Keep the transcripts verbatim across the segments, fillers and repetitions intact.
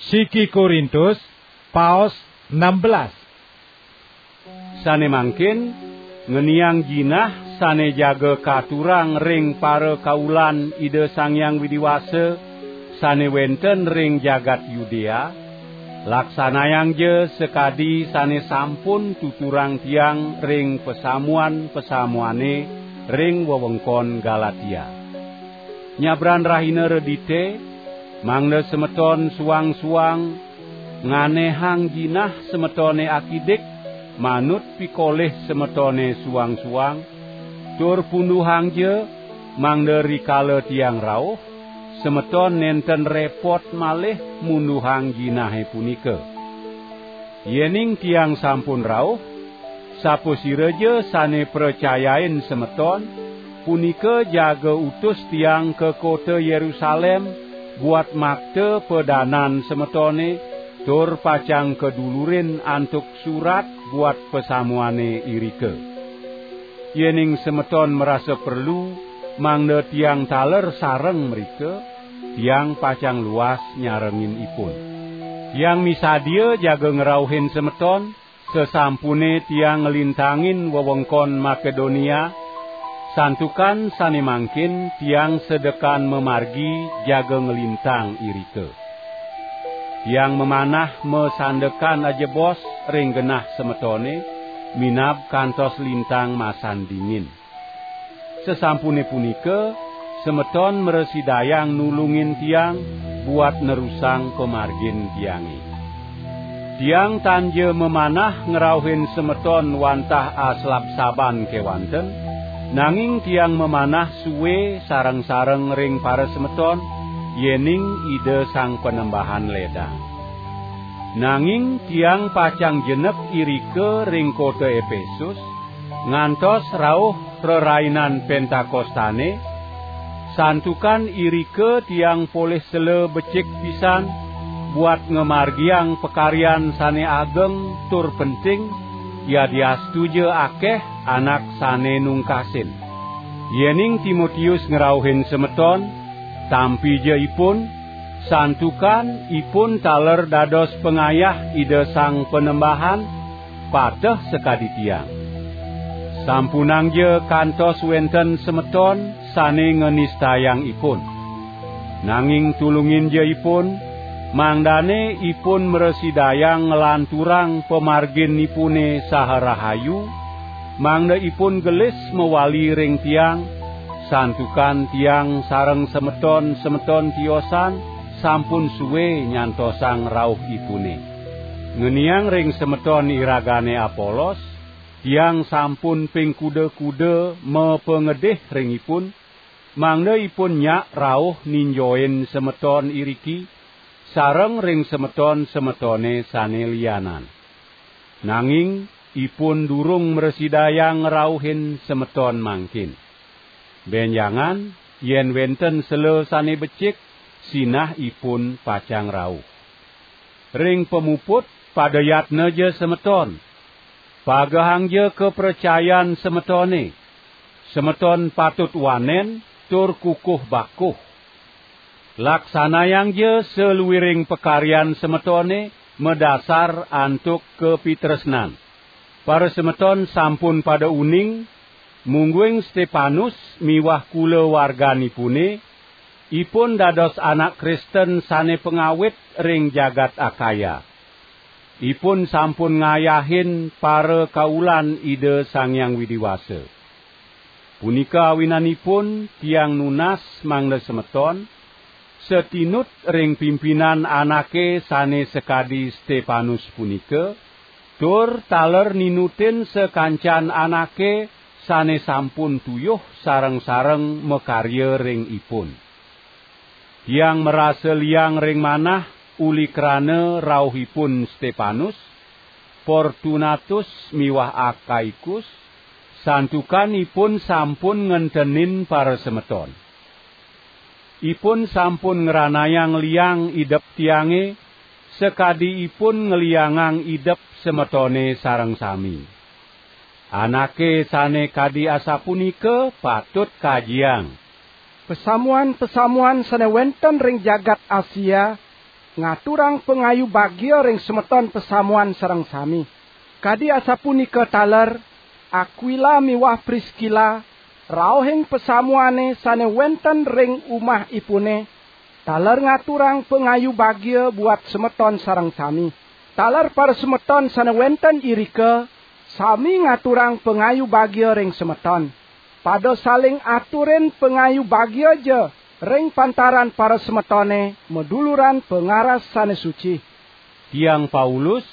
Siki Korintus, paos enam belas. Sane mangkin, ngeniang jinah sane jaga katurang ring parakaulan Ida Sang Hyang Widi Wasa sane wenten ring jagat Yudea, laksanayangja sakadi sane sampun tuturang tiang ring pasamuan-pasamuane ring wewengkon Galatia. Nyabran rahina redite, mangda semeton suang-suang nganehang jinah semetone akidik manut pikolih semetone suang-suang, tur punduhangja mangda rikala tiang rauh, semeton nenten repot malih munduhang jinahe punika. Yening tiang sampun rauh, sapasiraja sane pracayain semeton, punika jaga utus tiang ka kota Yerusalem buat makta padanan semetone, tur pacang kadulurin antuk surat buat pasamuane irika. Yening semeton marasa perlu mangda tiang taler sareng mrika, tiang pacang luas nyarengin ipun. Tiang misadia jaga ngrauhin semeton, sasampune tiang nglintangin wewengkon Makedonia, santukan sane mangkin tiang sedekan mamargi jaga nglintang irika. Tiang mamanah masandekan ajebos ring genah semetone, minab kantos lintang masan dingin. Sasampune punika, semeton mrasidayang nulungin tiang buat nerusang pamargin tiange. Tiang tanja mamanah ngrauhin semeton wantah aslabsaban kewanten, nanging tiang mamanah sue sareng-sareng ring parasemeton, yening Ida Sang Panembahan ledang. Nanging tiang pacang jenek irika ring kota Epesus, ngantos rauh rerainan Pentakostane, santukan irika tiang polih sela becik pisan buat ngamargiang pakaryan sane ageng tur penting, yadiastuja akeh anak sane nungkasin. Yening Timotius ngrauhin semeton, tampija ipun, santukan ipun taler dados pangayah Ida Sang Panembahan, pateh sakadi tiang. Sampunangja kantos wenten semeton sane nganistayang ipun. Nanging tulunginja ipun, mangdane ipun mrasidayang nglanturang pamarginipune saha rahayu, mangda ipun gelis mawali ring tiang, santukan tiang sareng semeton-semeton tiosan sampun sue nyantosang rauhipune. Ngeniang ring semeton iragane Apolos, tiang sampun ping kuda-kuda mapangedih ring ipun, mangda ipun nyak rauh ninjoin semeton iriki, sareng ring semeton-semetone sane lianan. Nanging ipun durung mrasidayang ngrauhin semeton mangkin. Benjangan, yen wenten sela sane becik, sinah ipun pacang rauh. Ring pamuput, padayatnaja semeton. Pagehangja kapracayan semetone. Semeton patut wanen tur kukuh bakuh. Laksanayangja saluiring pakaryan semetone madasar antuk kapitresnan. Parasemeton sampun pada uning, mungguing Stepanus miwah kulawarganipune, ipun dados anak Kristen sane pangawit ring jagat Akaya. Ipun sampun ngayahin parakaulan Ida Sang Hyang Widi Wasa. Punika awinanipun tiang nunas mangda semeton, satinut ring pimpinan anake sane sakadi Stepanus punika, tur taler ninutin sakancan anake sane sampun tuyuh sareng-sareng makarya ring ipun. Tiang marasa liang ring manah uli krana rauhipun Stepanus, Fortunatus miwah Akaikus, santukan ipun sampun ngentenin parasemeton. Ipun sampun ngranayang liang idep tiange, sakadi ipun ngliangang idep semetone sareng sami. Anake sane kadi asapunika patut kajiang. Pasamuan-pasamuan sane wenten ring jagat Asia ngaturang pangayu bagia ring semeton pasamuan sareng sami. Kadi asapunika taler, Akwila miwah Priskila, rauhing pasamuane sane wenten ring umahipune, taler ngaturang pangayu bagia buat semeton sareng sami. Taler parasemeton sane wenten irika, sami ngaturang pangayu bagia ring semeton. Pada saling aturin pangayu bagia ja ring pantaran parasemetone maduluran pangaras sane suci. Tiang Paulus,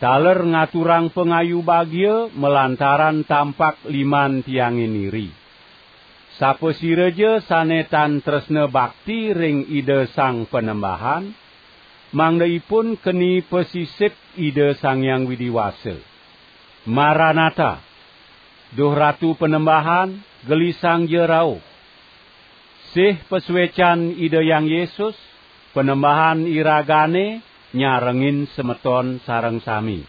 taler ngaturang pangayu bagia malantaran tampak liman tiange niri. Sapasiraja sane tan tresna bakti ring Ida Sang Panembahan, mangda ipun keni pasisip Ida Sang Hyang Widi Wasa. Maranata, duh Ratu Panembahan, gelisangja rauh. Sih pasuecan Ida Hyang Yesus, Panembahan iragane nyarengin semeton sareng sami.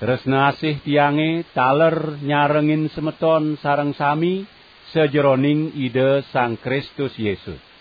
Tresna asih tiange taler nyarengin semeton sareng sami sajeroning Ida Sang Kristus Yesus.